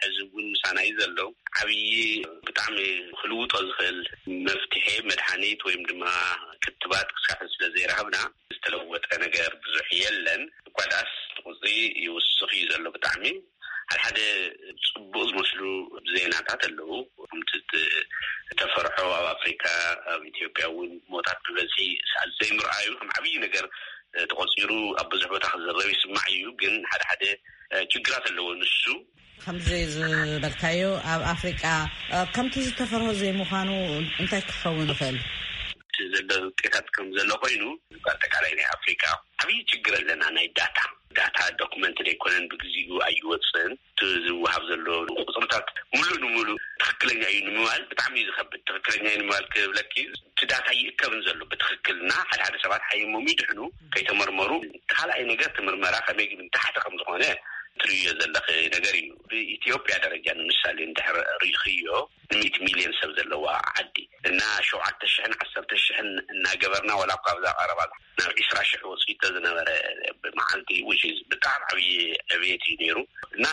ሕዚ እውን ምሳና እዩ ዘሎ። ዓብዪ ብጣዕሚ ክልውጦ ዝኽእል መፍትሒ መድሓኒት ወይም ድማ ክትባት ክሳብ ሕዚ ስለ ዘይረኸብና ዝተለወጠ ነገር ብዙሕ የለን። እኳ ደኣስ እቲ ቁፅሪ ይውስኽ እዩ ዘሎ ብጣዕሚ። ሓደ ሓደ ፅቡቅ ዝመስሉ ዜናታት ኣለዉ። ከምቲ ት-፣ ዝተፈርሖ ኣብ ኣፍሪካ፣ ኣብ ኢትዮጵያ እውን ሞታት ብበዝሒ ሰዓት ዘይምርኣዩ ከም ዓብዪ ነገር ተቆፂሩ ኣብ ብዙሕ ቦታ ክዝረብ ይስማዕ እዩ። ግን ሓደ ሓደ ችግራት ኣለዎ። ንሱ ከምዚ ዝበልካዮ ኣብ ኣፍሪቃ ከምቲ ዝተፈርሆ ዘይምዃኑ እንታይ ክኸውን ይኽእል? እቲ ዘሎ ውጤታት ከም ዘሎ ኮይኑ፣ በኣጠቃላይ ናይ ኣፍሪካ ዓብዪ ችግር ኣለና። ናይ ዳታ ዳታ ዶክመንት ዘይኮነን ብግዚኡ ኣይወፅን። እቲ ዝወሃብ ዘሎ ቁፅርታት ሙሉእ ንሙሉእ ትኽክለኛ እዩ ንምባል ብጣዕሚ እዩ ዝኸብድ። ትኽክለኛ እዩ ንምባል ክብለኪ፣ እቲ ዳታ ይእከብን ዘሎ ብትኽክልና ሓደ ሓደ ሰባት ሓይሞም ይድሕኑ ከይተመርመሩ። እቲ ካልኣይ ነገር እቲ ምርመራ ከመይ ግን ታሕቲ ከም ዝኾነ ትርእዮ ዘለኺ ነገር እዩ። ብኢትዮጵያ ደረጃ ንምሳሌ እንድሕር ርኢኽዮ፣ ንሚእቲ ሚልዮን ሰብ ዘለዋ ዓዲ እና ሸውዓተ ሽሕን ዓሰርተ ሽሕን እናገበርና፣ ወላ እኳ ኣብዛ ቀረባ ናብ ዒስራ ሽሕ ወፂኡ ዝነበረ ብመዓልቲ፣ which is ብጣዕሚ ዓብዪ ዕብየት እዩ ነይሩ። እና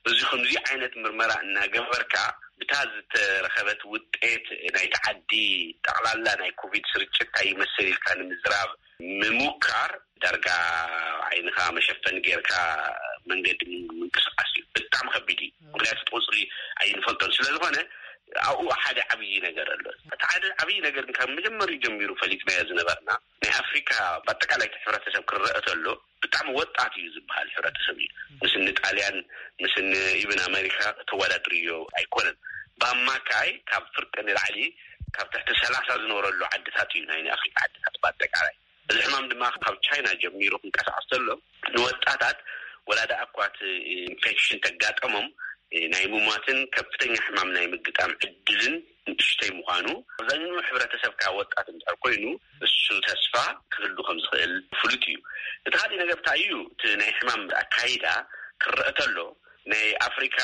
እዚ ከምዚ ዓይነት ምርመራ እናገበርካ ብታ ዝተረኸበት ውጤት ናይቲ ዓዲ ጠቕላላ ናይ ኮቪድ ስርጭት እንታይ ይመስል ኢልካ ንምዝራብ ምሙካር ዳርጋ ዓይንኻ መሸፈኒ ጌርካ መንገዲ ምንቅስቃስ እዩ። ብጣዕሚ ከቢድ እዩ። ምክንያቱ እቲ ቁፅሪ ኣይንፈልጦን ስለዝኾነ ኣብኡ ሓደ ዓብዪ ነገር ኣሎ። እቲ ሓደ ዓብዪ ነገር ግን ካብ መጀመሪኡ ጀሚሩ ፈሊጥናዮ ዝነበርና ናይ ኣፍሪካ ብኣጠቃላይ እቲ ሕብረተሰብ ክረአ ተሎ ብጣዕሚ ወጣት እዩ ዝበሃል ሕብረተሰብ እዩ። ምስኒ ጣልያን ምስኒ ኢብን ኣሜሪካ ተወዳድርዮ ኣይኮነን። ብኣማካይ ካብ ፍርቂ ንላዕሊ ካብ ትሕቲ ሰላሳ ዝነበረሉ ዓድታት እዩ ናይ ናይ ኣፍሪካ ዓድታት ብኣጠቃላይ። እዚ ሕማም ድማ ካብ ቻይና ጀሚሩ ክንቀሳቀስ ተሎ ንወጣታት ወላ ደኣ እኳ እቲ ኢንፌክሽን ተጋጠሞም ናይ ምሟትን ከፍተኛ ሕማም ናይ ምግጣም ዕድልን ንእሽተይ ምዃኑ፣ ኣብዛኛው ሕብረተሰብ ከዓ ወጣት እንድሕር ኮይኑ እሱ ተስፋ ክህሉ ከም ዝኽእል ፍሉጥ እዩ። እቲ ካልእ ነገር እንታይ እዩ? እቲ ናይ ሕማም ኣካይዳ ክረአ ተሎ ናይ ኣፍሪካ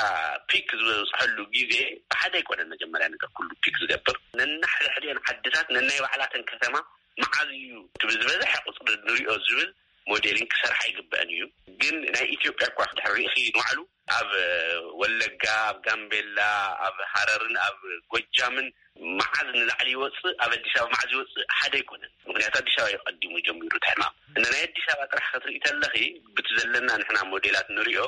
ፒክ ዝበፅሐሉ ግዜ ብሓደ ኣይኮነን። መጀመርያ ነገር ኩሉ ፒክ ዝገብር ነናሕድሕድኤን ዓድታት ነናይ ባዕላተን ከተማ መዓዝ እዩ እቲ ብዝበዝሐ ቁፅሪ ንሪኦ ዝብል ሞዴሊንግ ክሰርሓ ይግበአን እዩ። ግን ናይ ኢትዮጵያ እኳ ድሕር ርኢኺ ንባዕሉ ኣብ ወለጋ፣ ኣብ ጋምቤላ፣ ኣብ ሃረርን ኣብ ጎጃምን መዓዝ ንላዕሊ ይወፅእ፣ ኣብ ኣዲስ ኣበባ መዓዝ ይወፅእ ሓደ ኣይኮነን። ምክንያቱ ኣዲስ ኣበባ እዩ ቀዲሙ ጀሚሩ እቲ ሕማም። እና ናይ ኣዲስ ኣበባ ጥራሕ ክትርኢ ተለኺ ብቲ ዘለና ንሕና ሞዴላት ንሪኦ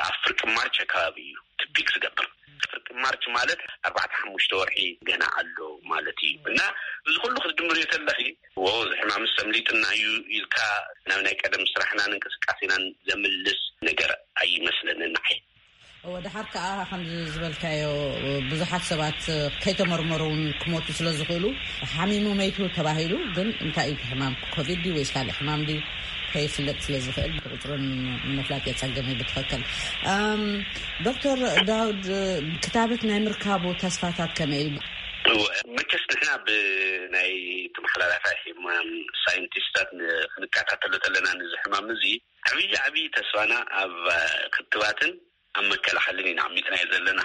ኣብ ፍርቂ ማርች ኣካባቢ እዩ እቲ ፒክ ዝገብር። ፍርቂ ማርች ማለት ኣርባዕተ ሓሙሽተ ወርሒ ገና ኣሎ ማለት እዩ። እና እዚ ኩሉ ክትድምርዮ ተለኺ፣ ዎ፣ እዚ ሕማምስ ሰምሊጥና እዩ ኢልካ ናብ ናይ ቀደም ስራሕናን እንቅስቃሴናን ዘምልስ ነገር ኣይመስለንን ንዓይ። እወ፣ ደሓር ከኣ ከምዚ ዝበልካዮ ብዙሓት ሰባት ከይተመርመሩ እውን ክሞቱ ስለ ዝኽእሉ፣ ሓሚሙ መይቱ ተባሂሉ፣ ግን እንታይ እዩ እቲ ሕማም? ኮቪድ ድዩ ወይስ ካልእ ሕማም ድዩ? ከይፍለጥ ስለ ዝኽእል፣ ቁጽሩ ንምፍላጥ የጸግም እዩ ብትኽክል። ኣም፣ ዶክተር ዳውድ፣ ክታበት ናይ ምርካቡ ተስፋታት ከመይ እዩ? እወ፣ መቸስ ንሕና ብናይ ተመሓላላፋይ ሕማም ሳይንቲስታት ን-፣ ክንከታተሎ ተለና፣ ንዚ ሕማም እዚ ዓብዪ ዓብዪ ተስፋና ኣብ ክትባትን ኣብ መከላኸልን ኢና ኣሚጥናዮ ዘለና።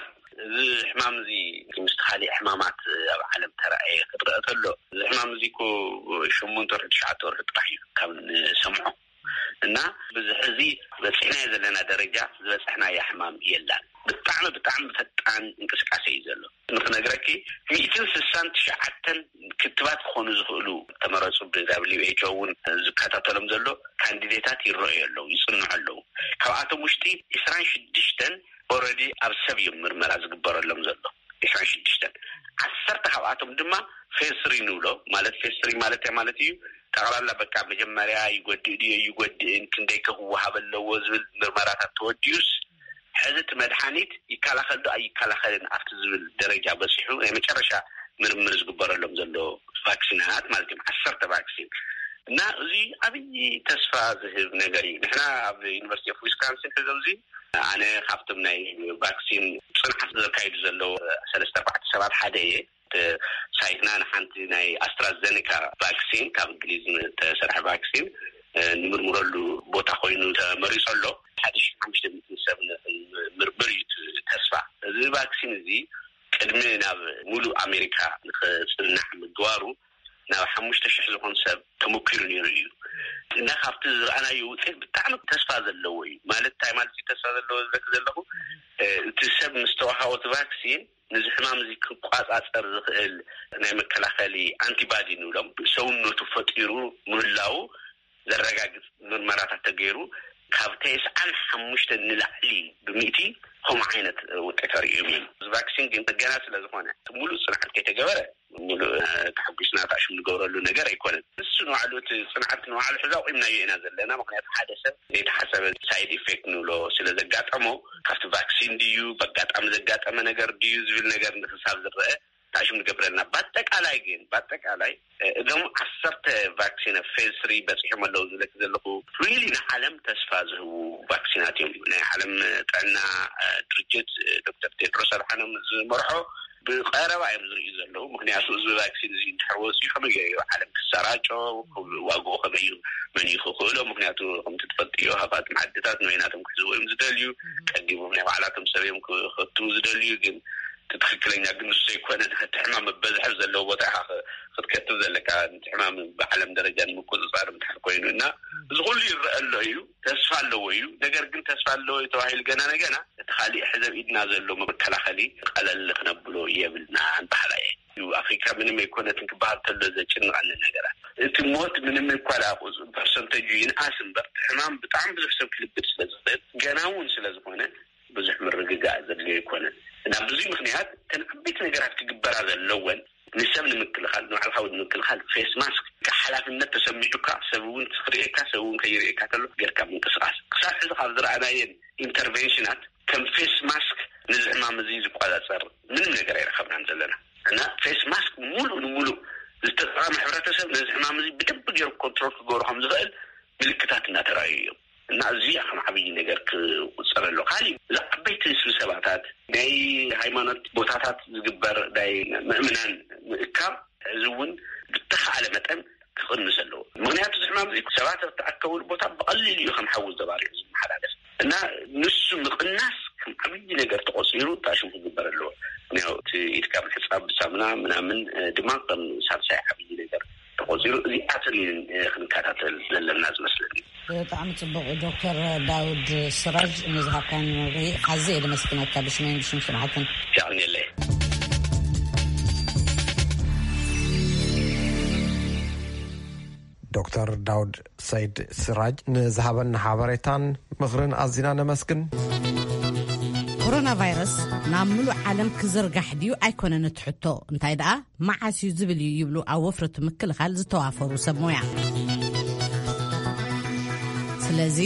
እዚ ሕማም እዚ ምስቲ ካሊእ ሕማማት ኣብ ዓለም ተራእየ ክትረአ ተሎ፣ እዚ ሕማም እዚ እኮ ሸሞንተ ወርሒ ትሽዓተ ወርሒ ጥራሕ እዩ ካብ ንሰምዖ። እና ብዝሕ እዚ በፂሕናዮ ዘለና ደረጃ ዝበፅሕናያ ሕማም የላን። ብጣዕሚ ብጣዕሚ ፈጣን እንቅስቃሴ እዩ ዘሎ። ንክነግረኪ፣ ሚእትን ስሳን ትሽዓተን ክትባት ክኾኑ ዝኽእሉ ተመረፁ፣ ብ WHO እውን ዝከታተሎም ዘሎ ካንዲዴታት ይረኣዩ ኣለዉ፣ ይፅንዑ ኣለዉ። ካብኣቶም ውሽጢ ዕስራን ሽዱሽተን ኦረዲ ኣብ ሰብ እዮም ምርመራ ዝግበረሎም ዘሎ። ዕስራን ሽዱሽተን፣ ዓሰርተ ካብኣቶም ድማ ፌዝ ስሪ ንብሎ። ማለት ፌዝ ስሪ ማለት እንታይ ማለት እዩ? ጠቕላላ በቃ መጀመርያ ይጎድእ ድዮ ይጎድእን፣ ክንደይ ከ ክወሃብ ኣለዎ ዝብል ምርመራታት ተወዲኡስ፣ ሕዚ እቲ መድሓኒት ይከላኸል ዶ ኣይከላኸልን ኣብቲ ዝብል ደረጃ በፂሑ ናይ መጨረሻ ምርምር ዝግበረሎም ዘሎ ቫክሲናት ማለት እዮም። ዓሰርተ ቫክሲን እና እዚ ዓብዪ ተስፋ ዝህብ ነገር እዩ። ንሕና ኣብ ዩኒቨርሲቲ ኦፍ ዊስካንሲን ሕዚ ኣብዚ ኣነ ካብቶም ናይ ቫክሲን ፅንዓት ዘካይዱ ዘለዉ ሰለስተ ኣርባዕተ ሰባት ሓደ እየ። እቲ ሳይትና ንሓንቲ ናይ ኣስትራዘኔካ ቫክሲን፣ ካብ እንግሊዝ ዝተሰርሐ ቫክሲን፣ እ፣ ንምርምረሉ ቦታ ኮይኑ ተመሪጹ ኣሎ። ሓደ ሺሕ ሓሙሽተ ሚእቲ ሰብ ን-፣ ምርምር እዩ እቲ ተስፋ። እዚ ቫክሲን እዚ ቅድሚ ናብ ሙሉእ ኣሜሪካ ንኽጽናዕ ምግባሩ፣ ናብ ሓሙሽተ ሽሕ ዝኾን ሰብ ተሞኪሩ ነይሩ እዩ። እና ካብቲ ዝረኣናዮ ውፅኢት ብጣዕሚ ተስፋ ዘለዎ እዩ። ማለት እንታይ ማለት እዩ ተስፋ ዘለዎ ዝብለኪ ዘለኹ? እ፣ እቲ ሰብ ምስ ተዋሃቦ እቲ ቫክሲን፣ ነዚ ሕማም እዚ ክቋጻጸር ዝኽእል ናይ መከላኸሊ ኣንቲባዲ ንብሎም፣ ሰውነቱ ፈጢሩ ምህላዉ ዘረጋግጽ ምርመራታት ተገይሩ፣ ካብ ተስዓን ሓሙሽተን ንላዕሊ ብሚእቲ ከምኡ ዓይነት ውጤት ኣርእዮም እዮም። እዚ ቫክሲን ግን ገና ስለ ዝኾነ፣ እቲ ሙሉእ ጽንዓት ከይተገበረ፣ ሙሉእ፣ እ፣ ተሓጒስና ታሽም ንገብረሉ ነገር ኣይኮነን። ንሱ ንባዕሉ፣ እቲ ጽንዓት ንባዕሉ ሕዚ ኣቑምናዮ ኢና ዘለና። ምኽንያቱ ሓደ ሰብ ዘይተሓሰበ ሳይድ ኢፌክት ንብሎ ስለ ዘጋጠሞ፣ ካብቲ ቫክሲን ድዩ፣ በጋጣሚ ዘጋጠመ ነገር ድዩ ዝብል ነገር ንክሳብ ዝረአ ታሽም ንገብረልና። በኣጠቃላይ ግን፣ በኣጠቃላይ፣ እ፣ እዞም ዓሰርተ ቫክሲን ኣብ ፌዝ ስሪ በፂሖም ኣለዉ ዝብለኪ ዘለኹ፣ ሪሊ ንዓለም ተስፋ ዝህቡ ቫክሲናት እዮም። ናይ ዓለም ጥዕና፣ እ፣ ድርጅት፣ እ፣ ዶክተር ቴድሮስ ኣድሓኖም ዝመርሖ ብቐረባ እዮም ዝርእዩ ዘለዉ። ምኽንያቱ እዚ ቫክሲን እዚ እንድሕር ወፂኡ ከመይ ገይሩ ዓለም ክሰራጮ፣ ዋግኡ ከመይ እዩ፣ መን እዩ ክኽእሎ? ምኽንያቱ ከምቲ ትፈልጥዮ፣ ሃብታም ዓድታት ንበይናቶም ክሕዝዎ እዮም ዝደልዩ። ቀዲሞም ናይ ባዕላቶም ሰብ እዮም ክኸቱ ዝደልዩ። ግን እቲ ትኽክለኛ ግን ንሱ ኣይኮነን። እቲ ሕማም መበዝሒ ዘለዎ ቦታ ኢኻ ክ-፣ ክትከትብ ዘለካ። እቲ ሕማም ብዓለም ደረጃ ንምቁፅፃር እንድሕር ኮይኑ እና፣ እዚ ኩሉ ይረአ ኣሎ እዩ፣ ተስፋ ኣለዎ እዩ። ነገር ግን ተስፋ ኣለዎ እዩ ተባሂሉ ገና ንገና እቲ ካሊእ ሕዚ ኣብ ኢድና ዘሎ መከላኸሊ ቀለል ክነብሎ የብልና ንባህላ እየ። እዩ ኣፍሪካ ምንም ኣይኮነትን ክበሃል ከሎ ዘጭንቐኒ ነገራት፣ እቲ ሞት ምንም እኳ ደኣ ቁጽ-፣ ፐርሰንተጁ ይንኣስ እምበር፣ እቲ ሕማም ብጣዕሚ ብዙሕ ሰብ ክልብድ ስለ ዝኽእል፣ ገና እውን ስለ ዝኾነ፣ ብዙሕ ምርግጋእ ዘድልዮ ኣይኮነን። እና ብዙይ ምክንያት እተን ዓበይቲ ነገራት ክግበራ ዘለወን፣ ንሰብ ንምክልኻል፣ ንባዕልኻ እውን ንምክልኻል፣ ፌስ ማስክ፣ ሓላፍነት ተሰሚዑካ፣ ሰብ እውን ክርእየካ፣ ሰብ እውን ከይርእየካ ከሎ ጌርካ ምንቅስቓስ። ክሳብ ሕዚ ካብ ዝረኣናየን ኢንተርቬንሽናት፣ ከም ፌስ ማስክ ነዚ ሕማም እዚ ዝቆጻጸር ምንም ነገር ኣይረኸብናን ዘለና። እና ፌስ ማስክ ሙሉእ ንሙሉእ ዝተጠቐመ ሕብረተሰብ ነዚ ሕማም እዚ ብደንብ ገይሩ ኮንትሮል ክገብሮ ከም ዝኽእል ምልክታት እናተረኣዩ እዮም። እና እዚኣ ከም ዓብዪ ነገር ክቁጸር ኣሎ። ካሊእ፣ እዚ ዓበይቲ ስብሰባታት፣ ናይ ሃይማኖት ቦታታት ዝግበር ናይ ምእምናን ምእካብ፣ እዚ እውን ብተኻእለ መጠን ክቕንስ ኣለዎ። ምኽንያቱ፣ እዚ ሕማም እዚ ሰባት ኣብ ተኣከብሉ ቦታ ብቐሊሉ እዩ ከም ሓዊ ተባሪዑ ዝመሓላለፍ። እና ንሱ ምቕናስ ከም ዓብዪ ነገር ተቖጺሩ ታሽም ክግበር ኣለዎ። ምኽንያቱ፣ እቲ ኢድካ ምሕጻብ ብሳሙና ምናምን፣ እ፣ ድማ ከም ሳልሳይ ዓብዪ ነገር ተቖጺሩ፣ እዚኣተን እየን፣ እ፣ ክንከታተል ዘለና ዝመስለኒ። ብጣዕሚ ጽቡቕ ዶክተር ዳውድ ስራጅ፣ ንዝሃብካኒ መብርሂ ኣዝየ የመስግነካ፣ ብሽመይን ብሽም ሰማዕትን። የቐንየለይ። ዶክተር ዳውድ ሰይድ ስራጅ ንዝሃበና ሓበሬታን ምኽርን ኣዚና ነመስግን። ኮሮና ቫይረስ ናብ ምሉእ ዓለም ክዝርጋሕ ድዩ ኣይኮነን እቲ ሕቶ፣ እንታይ ደኣ መዓስ እዩ ዝብል እዩ ይብሉ ኣብ ወፍሪ ምክልኻል ዝተዋፈሩ ሰብ ሞያ። ስለዚ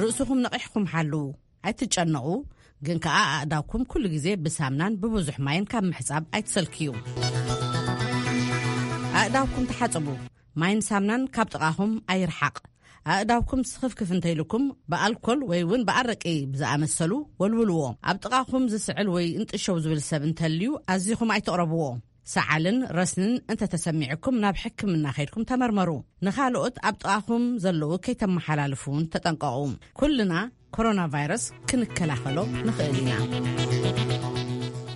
ርእስኹም ነቒሕኩም ሓልዉ፣ ኣይትጨነቑ፣ ግን ከኣ ኣእዳውኩም ኩሉ ግዜ ብሳምናን ብብዙሕ ማይን ካብ ምሕጻብ ኣይትሰልክዩ። ኣእዳውኩም ተሓጽቡ፣ ማይን ሳምናን ካብ ጥቓኹም ኣይርሓቕ። ኣእዳውኩም ስኽፍክፍ እንተኢልኩም ብኣልኮል ወይ እውን ብኣረቂ ብዝኣመሰሉ ወልውልዎ። ኣብ ጥቓኹም ዝስዕል ወይ እንጥሸው ዝብል ሰብ እንተልዩ ኣዚኹም ኣይትቕረብዎ። ሰዓልን ረስንን እንተተሰሚዕኩም ናብ ሕክምና ከይድኩም ተመርመሩ። ንኻልኦት ኣብ ጥቓኹም ዘለዉ ከይተመሓላልፉ እውን ተጠንቀቑ። ኩልና ኮሮና ቫይረስ ክንከላኸሎ ንኽእል ኢና።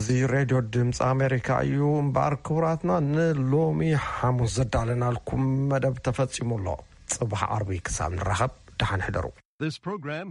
እዚ ሬድዮ ድምፂ ኣሜሪካ እዩ። እምበኣር ክቡራትና፣ ንሎሚ ሓሙስ ዘዳለናልኩም መደብ ተፈጺሙ ኣሎ። ጽባሕ ዓርቢ ክሳብ ንራኸብ፣ ደሓን ሕደሩ። This program